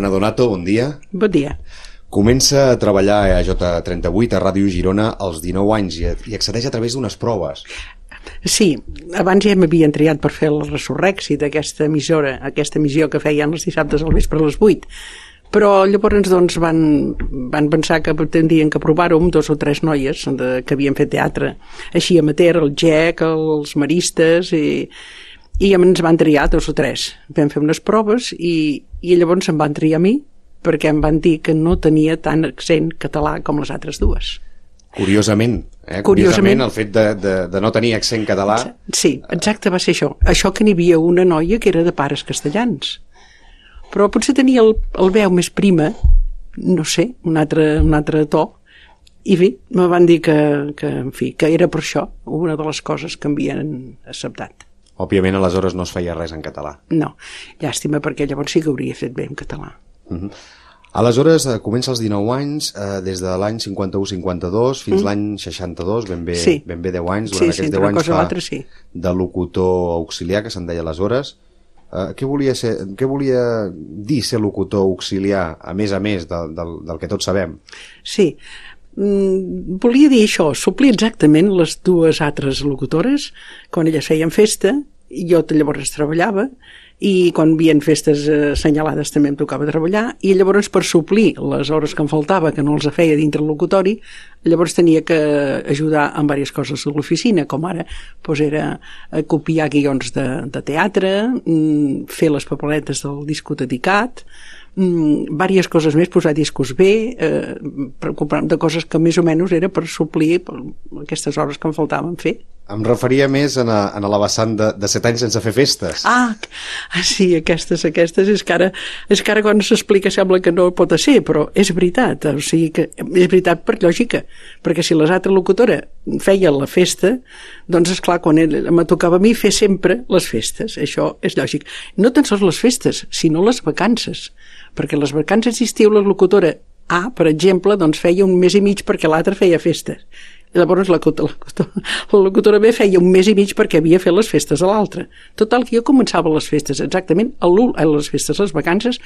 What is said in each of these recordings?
Anna Donato, bon dia. Bon dia. Comença a treballar a J38 a Ràdio Girona als 19 anys i accedeix a través d'unes proves. Sí, abans ja m'havien triat per fer el Resurrèxit, aquesta emissora, aquesta emissió que feien els dissabtes al vespre a les 8. Però llavors doncs, van pensar que tindrien que provar-ho amb 2 o 3 noies que havien fet teatre. Així amateur, el GEC, els maristes, i ens van triar 2 o 3. Vam fer unes proves i llavors em van triar a mi perquè em van dir que no tenia tant accent català com les altres dues. Curiosament, Curiosament el fet de no tenir accent català... Sí, exacte, va ser això. Això que n'hi havia una noia que era de pares castellans. Però potser tenia el veu més prima, no sé, un altre to, i bé, me van dir que era per això una de les coses que m'havien acceptat. Òbviament, aleshores no es feia res en català. No, llàstima, perquè llavors sí que hauria fet bé en català. Aleshores, comença als 19 anys, des de l'any 51-52 fins l'any 62, ben bé 10 anys. Durant aquests 10 anys fa de locutor auxiliar, que se'n deia aleshores. Què volia dir ser locutor auxiliar, a més del que tots sabem? Sí, volia dir això, suplir exactament les 2 altres locutores. Quan elles feien festa, jo llavors treballava, i quan hi havia festes assenyalades també em tocava treballar, i llavors per suplir les hores que em faltava, que no els feia dintre el locutori, llavors tenia que ajudar en diverses coses a l'oficina, com ara era copiar guions de teatre, fer les papeletes del disco dedicat, diverses coses més, posar discos bé, preocupar-me de coses que més o menys era per suplir aquestes hores que em faltaven fer. Em referia més a la vessant de 7 anys sense fer festes. Sí, aquestes és que ara quan s'explica sembla que no pot ser, però és veritat, o sigui que és veritat per lògica, perquè si l'altra locutora feia la festa, doncs esclar, quan me tocava a mi fer sempre les festes, això és lògic. No tan sols les festes, sinó les vacances, perquè les vacances d'estiu la locutora A, per exemple, doncs feia 1 mes i mig perquè l'altra feia festes. Llavors la locutora B feia 1 mes i mig perquè havia fet les festes a l'altra. Total, que jo començava les festes exactament, les vacances,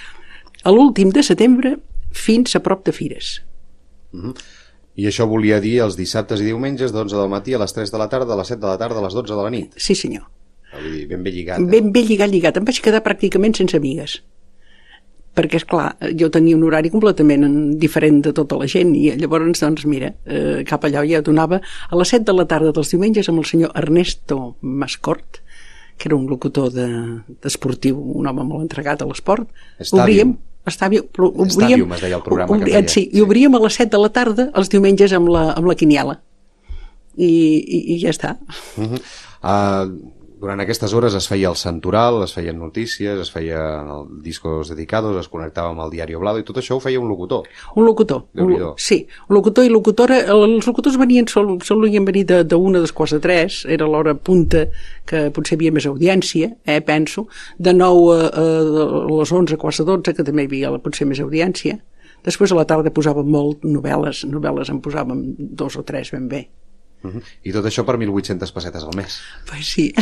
a l'últim de setembre fins a prop de Fires. I això volia dir els dissabtes i diumenges d'11 del matí a les 3 de la tarda, a les 7 de la tarda, a les 12 de la nit. Sí, senyor. Vull dir, ben bé lligat. Ben bé lligat. Em vaig quedar pràcticament sense amigues. Perquè, esclar, jo tenia un horari completament diferent de tota la gent i llavors, doncs, mira, cap allà ja donava a les 7 de la tarda dels diumenges amb el senyor Ernesto Mascort, que era un locutor esportiu, un home molt entregat a l'esport. Stadium, es deia el programa que feia. Sí, i obríem a les 7 de la tarda els diumenges amb la quiniela. I ja està. Durant aquestes hores es feia el santoral, es feien notícies, es feien discos dedicados, es connectava amb el Diari Oblado, i tot això ho feia un locutor. Un locutor, sí. Un locutor i locutora. Els locutors solien venir d'1 a 2:45, era l'hora punta, que potser hi havia més audiència, penso. De 9 a les 11:15, que també hi havia potser més audiència. Després a la tarda posàvem molt novel·les en posàvem 2 o 3 ben bé. I tot això per 1.800 pessetes al mes. Pues sí,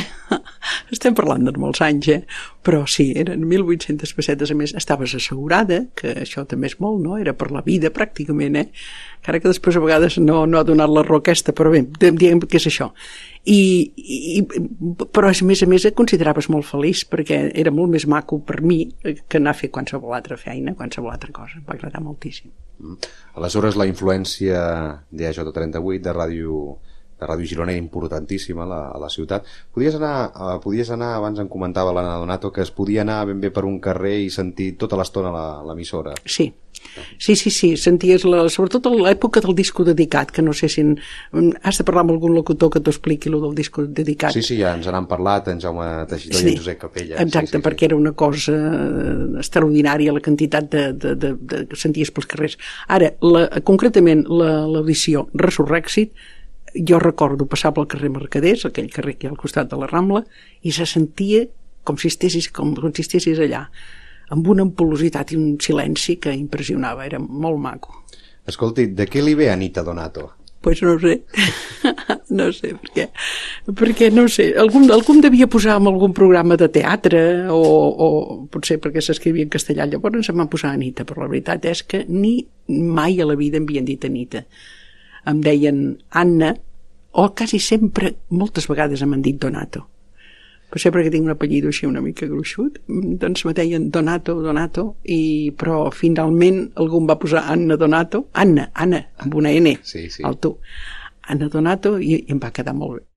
estem parlant de molts anys, però sí, eren 1.800 pessetes al mes. Estaves assegurada, que això també és molt, no? Era per la vida, pràcticament, encara que després a vegades no ha donat la raó aquesta, però bé, diguem que és això. Però a més et consideraves molt feliç, perquè era molt més maco per mi que anar a fer qualsevol altra feina, qualsevol altra cosa. Em va agradar moltíssim. Aleshores, la influència de J38, de Ràdio Girona, era importantíssima a la ciutat. Podies anar, abans em comentava l'Anna Donato, que es podia anar ben bé per un carrer i sentir tota l'estona l'emissora. Sí, senties, sobretot a l'època del disco dedicat, que no sé si has de parlar amb algun locutor que t'ho expliqui, el del disco dedicat. Sí, ja ens n'han parlat, en Jaume Teixidor i en Josep Capella. Exacte, perquè era una cosa extraordinària la quantitat que senties pels carrers. Ara, concretament l'edició Resurrèxit, jo recordo passar pel carrer Mercaders, aquell carrer que hi ha al costat de la Rambla, i se sentia com si estiguessis allà, amb una ampul·lositat i un silenci que impressionava, era molt maco. Escolti, de què li ve a Anita Donato? Pues no ho sé, No sé per què. Perquè, no sé, algú devia posar en algun programa de teatre o potser perquè s'escrivia en castellà. Llavors em van posar Anita, però la veritat és que ni mai a la vida em havien dit Anita. Em deien Anna, o quasi sempre, moltes vegades m'han dit Donato. Potser perquè tinc un apellido així una mica gruixut, doncs me deien Donato, però finalment algú em va posar Anna Donato, Anna, amb una N, al tu. Anna Donato, i em va quedar molt bé.